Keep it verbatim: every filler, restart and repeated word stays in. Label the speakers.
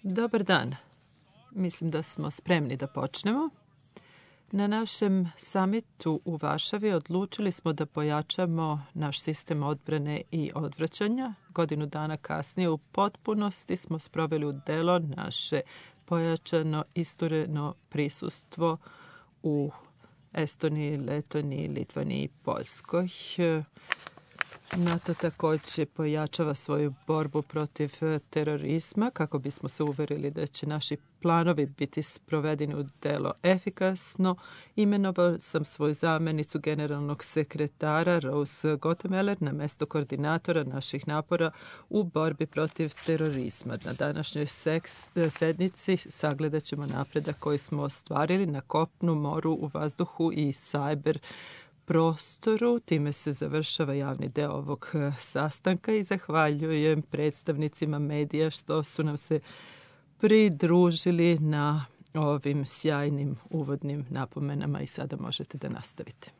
Speaker 1: Dobar dan. Mislim da smo spremni da počnemo. Na našem samitu u Varšavi odlučili smo da pojačamo naš sistem odbrane i odvraćanja. Godinu dana kasnije u potpunosti smo sproveli u delo naše pojačano istureno prisustvo u Estoniji, Letoniji, Litvaniji i Poljskoj. NATO također pojačava svoju borbu protiv terorizma kako bismo se uverili da će naši planovi biti sprovedeni u delo efikasno. Imenovao sam svoju zamjenicu generalnog sekretara Rose Gottemeller na mesto koordinatora naših napora u borbi protiv terorizma. Na današnjoj sednici sagledat ćemo napredak koji smo ostvarili na kopnu, moru, u vazduhu i cyber prostoru. Time se završava javni deo ovog sastanka i zahvaljujem predstavnicima medija što su nam se pridružili na ovim sjajnim uvodnim napomenama i sada možete da nastavite.